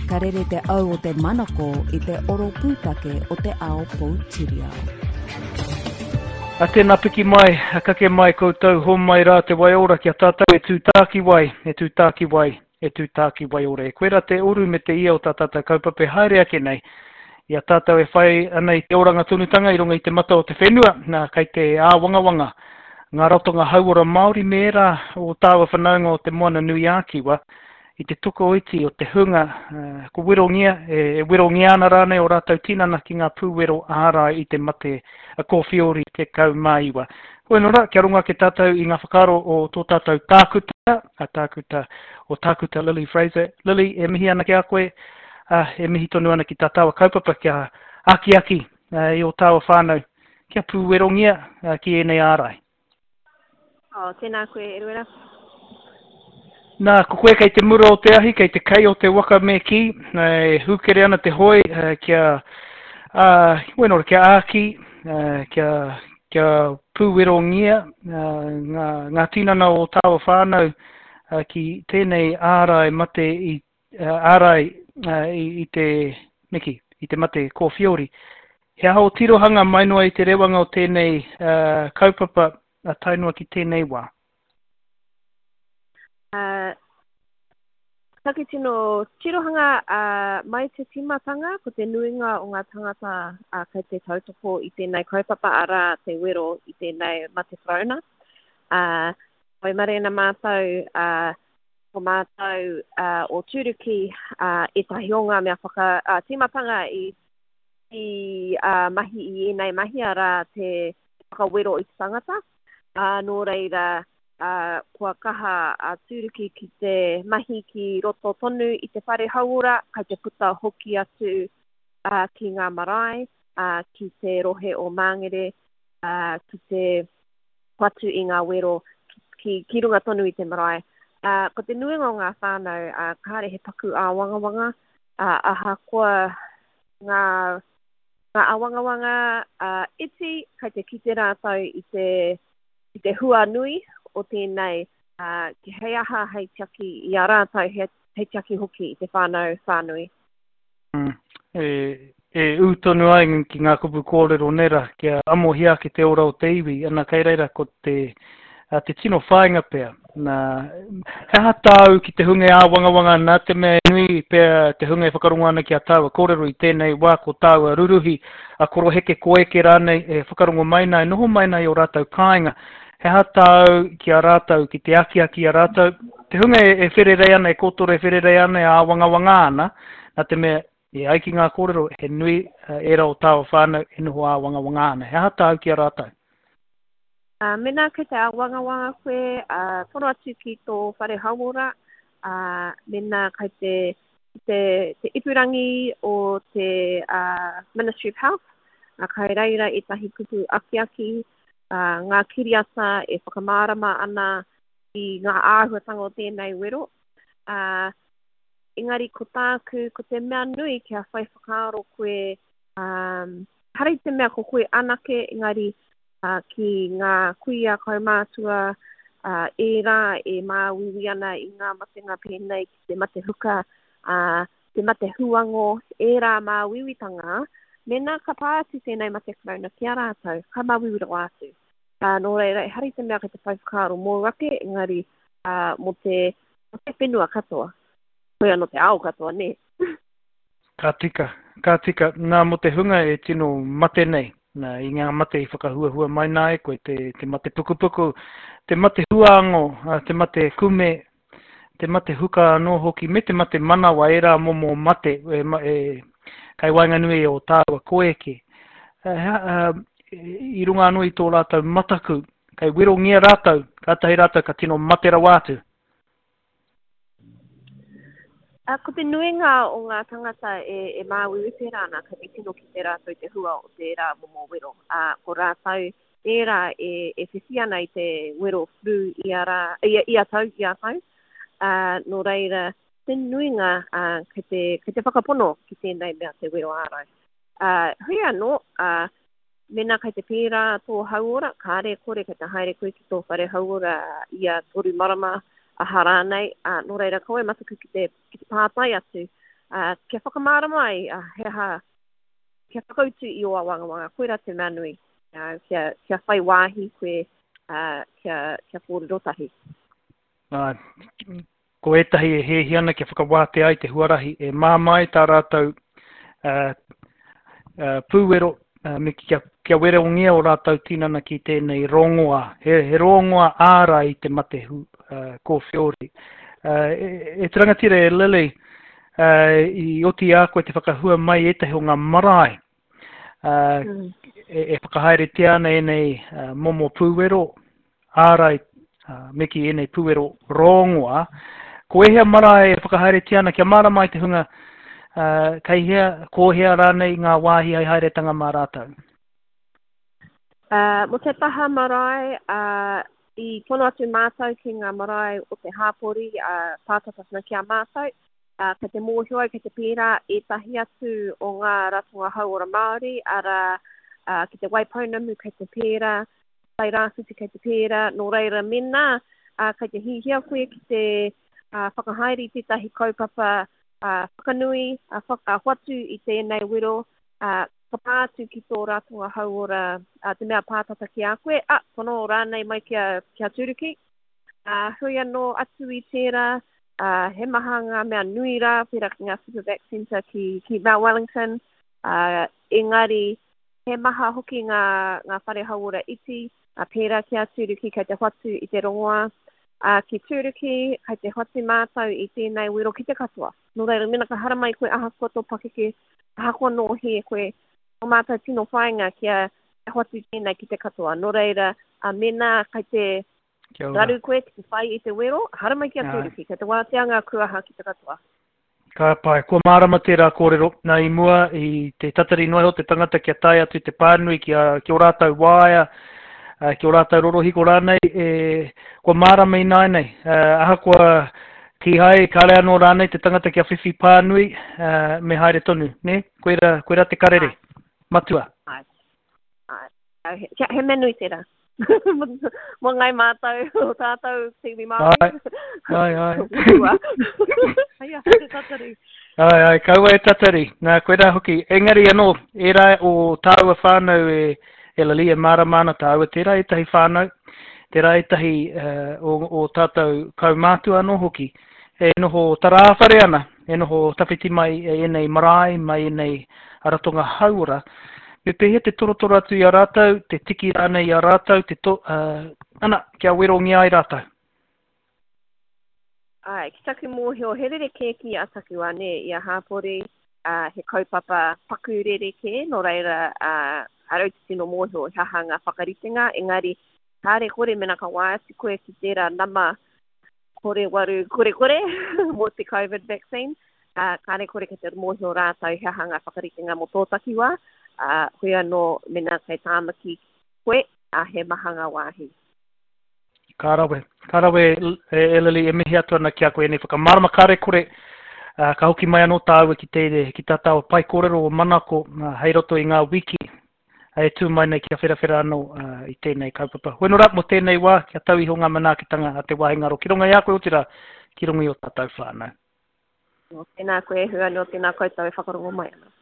Ka rere te au o te manako i te oro pūtake o te ao poutiriao. A tēnā piki mai, a kake mai koutou, homai rā te waiora ki a tātou e tū tākiwai, e tū tākiwai, e tū tākiwaiora. E koe rā te oru me te ia o tā tātou kaupapa e haere ake nei, i a tātou e whai ana i te oranga tonutanga i runga i te mata o te whenua, nā, kei te āwangawanga ngā ratonga hauora Māori me ērā o tāua whanaunga o Te Moana-nui-ā-Kiwa i te tokoiti o te hunga ko werongia, e werongia ana rānei ō rātou tinana ki ngā pūwero ārai i te mate kōwhiori 19. Hoi anō rā, kia rongo ake tātou i ngā whakaaro o tō tātou tākuta, a tākuta, o Tākuta Lily Fraser. Lily, e mihi ana ki a koe, ā, e mihi tonu ana ki tā tāua kaupapa kia akiaki i ō tāua whānau kia pūwerongia ki ēnei ārai. Oh, tēnā koe, Eruera. Nā, ko koe kei te mura o te ahi, kei te kei o te waka me kī, e hūkere ana te hoe kia, ā, bueno, kia āki, kia, kia pūwerongia ngā, ngā tinana o tāua whānau ki tēnei ārai mate i, ārai i te, me kī, i te mate kōwhiori. He aha ō tirohanga mai noa i te rewanga o tēnei kaupapa tae noa ki tēnei wā? Uh, taku tino tirohanga uh, mai te tīmatanga, ko te nuinga o ngā tangata uh, kei te tautoko i tēnei kaupapa, arā te wero i tēnei mate karauna. Uh, waimarie ana mātou, uh, ko mātou uh, o Tūruki uh, ētahi o ngā mea whaka, uh, tīmatanga i, i uh, mahi i ēnei mahi, arā te whakawero i te tangata. Uh, nō reira, ā, kua kaha a Tūruki ki te mahi ki roto tonu i te whare hauora, kai te puta hoki atu ā, ki ngā marae, ā, ki te rohe o Māngere, ā, ki te whatu i ngā wero ki, ki, ki runga tonu i te marae. Ā, ko te nuinga o ngā whānau, ā, kāre he paku āwangawanga, ā, ahakoa ngā, ngā āwangawanga, ā, iti, kai te kite rātou i te, i te hua nui o tēnei, ā, hei aha hei tiaki i a rātou, hei, hei tiaki hoki i te whānau whānui. Mm, e, e ū tonu ai ki ngā kupu kōrero nera, kia amohia ake te ora o te iwi, ana kei reira ko te, a, te tino whāinga pea. Nā, he aha tāu ki te hunga e āwangawanga ana, te mea e nui pea te hunga e whakarongo ana ki a tāua kōrero i tēnei wā ko tāua ruruhi, a koroheke koeke rānei e whakarongo mai nā, e noho mai nā i ō rātou kāinga. He aha tāu ki a rātou, ki te akiaki i a rātou, te hunga e, e whererei ana, e kōtoro e whererei ana, e āwangawanga ana, nā te mea, e ai ki ngā kōrero, he nui ērā o tāua whānau e noho āwangawanga ana. He aha tāu ki a rātou? Ā, mēnā kei te āwangawanga koe, ā, tono atu ki tō whare hauora, ā, mēnā kei te, te, te ipurangi o te ā, Ministry of Health, ā, kai reira ētahi kupu akiaki, ā, ngā kiriata e whakamārama ana i ngā āhuatanga o tēnei wero. Ā, engari ko tāku, ko te mea nui kia whai whakaaro koe, ā, ehara i te mea ko koe anake, engari ā, ki ngā kuia kaumātua, ā, ērā e māuiui ana i ngā matenga pēnei ki te mate huka, ā, te mate huango, ērā māuiuitanga, mēnā ka pā atu tēnei mate karauna ki a rātou, ka māuiui rawa atu. Ā, nō reira, ehara i te mea kei te whai whakaaro mōu ake, engari, ā, mō te, mō te whenua katoa. Hoi anō te ao katoa, nē? Ka tika, ka tika. Nā, mō te hunga e tino mate nei, nā, i ngā mate i whakahuahua mai nā e koe, te, te mate pukupuku, te mate huāngo, te mate kume, te mate huka anō hoki, me te mate manawa, ērā momo mate e, e, kai waenganui o tāua koeke. I runga anō i tō rātou mataku, kei werongia rātou, kātahi rātou ka tino mate rawa atu. Ā, ko te nuinga o ngā tangata e, e māuiui pērā ana, kei te tino kite rātou i te hua o tērā momo wero. Ā, ko rātou ērā e, e whiwhi ana i te wero flu ia rā, ia, ia tau, ia tau. Ā, nō reira, te nuinga, ā, kei te, kei te whakapono ki tēnei mea te wero ārai. Ā, hui anō, ā, Mēnā kei te pērā tō hauora, kāre e kore kei te haere koe ki tō whare hauora ia toru marama, aha rānei, ā, nō reira kaua e mataku ki te, ki te pātai atu, Ā, kia whakamārama ai he aha, kia whakautu i ō āwangawanga, koirā te mea nui, ā, kia, kia whai wāhi koe, ā, kia, kia kōrero tahi. Ā, ko ētahi e hiahia ana kia whakawātea ai te huarahi e māmā ai tā rātou ā, ā, pūwero, ā, me kia, kia werongia ō rātou tinana ki tēnei rongoā, he, he rongoā ārai i te mate hu, ā, kōwheori. Ā, e, e te rangatira e Lily, ā, i oti i a koe te whakahua mai ētahi o ngā marae, ā, mm. e, e whakahaeretia ana ēnei ā, momo pūwero, ārai me kī ēnei pūwero rongoā, ko ēhea marae e whakahaeretia ana kia mārama ai te hunga kei hea, ko hea rānei ngā wāhi hei haeretanga mā rātou? Uh, mō te taha marae, uh, i tono atu mātou ki ngā marae o te hāpori uh, pātata ana ki a mātou. Uh, kei te mōhio au, kei te pērā ētahi atu o ngā ratonga hauora Māori, arā, uh, ki te Waipounamu kei te pērā, Tai Rāwhiti kei te pērā, nō reira mēnā kei te hihia koe ki te whakahaere i tētahi kaupapa whakanui, whatu i tēnei wero, ka pā atu ki tō ratonga hauora, te mea pātata ki a koe, a, tono rānei mai ki a, ki a Tūruki. Hui anō atu i tērā, he maha ngā mea nui rā, pērā ki ngā Supervac Centre ki, ki Mount Wellington, engari He maha hoki ngā, ngā whare hauora iti, ā, pērā ki a Tūruki kei te hoatu i te rongoā. Ā, ki Tūruki, kei te hoatu mātou i tēnei wero ki te katoa. Nō reira, mēnā ka haramai koe ahakoa tō pakeke, ahakoa nō hē koe, tō mātou tino whāinga kia hoatu tēnei ki te katoa. Nō reira, ā, mēnā kei te raru koe ki te whai i te wero, haramai ki a Tūruki, kei te wātea ngā kuaha ki te katoa. Ka pai. Kua mārama tērā kōrero. Nā, i mua, i te tatari noa iho te tangata kia tae atu te pānui ki, a, ki ō rātou waea, ki ō rātou rorohiko rānei, e, kua mārama ināianei. Ahakoa kīhai, kāre anō rānei te tangata kia whiwhi pānui, me haere tonu, nē? Koirā, koirā te karere matua. Āe. Āe. He, he mea nui tērā. Mō ngai mātou, o tātou te iwi Māori. Ai, ai, ai. Ai, ai, te tatari. Ai, ai, kaua e tatari. Nā, koirā hoki. Engari anō, ērā o tāua whānau e, e Lily, e mārama ana tāua, tērā ētahi whānau, tērā ētahi uh, o, o tātou kaumātua anō hoki, e noho tarāwhare ana, e noho tawhiti mai e ēnei marae, mai ēnei ratonga hauora, me pēhea te torotoro atu i a rātou, te tiki rānei i a rātou, te to, uh, ana, kia werongia ai rātou? Āe, ki taku mōhio, he rerekē ki a taku ane i a hāpori, uh, he kaupapa paku rerekē, nō reira, uh, arau te tino mōhio he aha ngā whakaritenga, engari, kāre kore mena ka wā atu koe ki tērā nama kore waru kore kore mō te Covid vaccine, ā, kāre kore kei te mōhio rātou he aha ngā whakaritenga mō tō takiwā, ā, hoi anō mēnā kei Tāmaki koe, ā, he maha ngā wāhi. Ka rawe, ka rawe e Lily, e mihi atu ana ki a koe ēnei whakamārama kāre kore, ā, ka hoki mai anō tāua ki te, ki tā tāua pae kōrero o Manako, ā, hei roto i ngā wiki e tū mai nei kia wherawhera anō i tēnei kaupapa. Hoeno rā, mō tēnei wā, kia tau iho ngā manaakitanga a te wāhi ngaro ki runga i a koe, otirā, ki runga i ō tātou whānau. Tēnā koe, hua anō, tēnā koutou e whakarongo mai ana.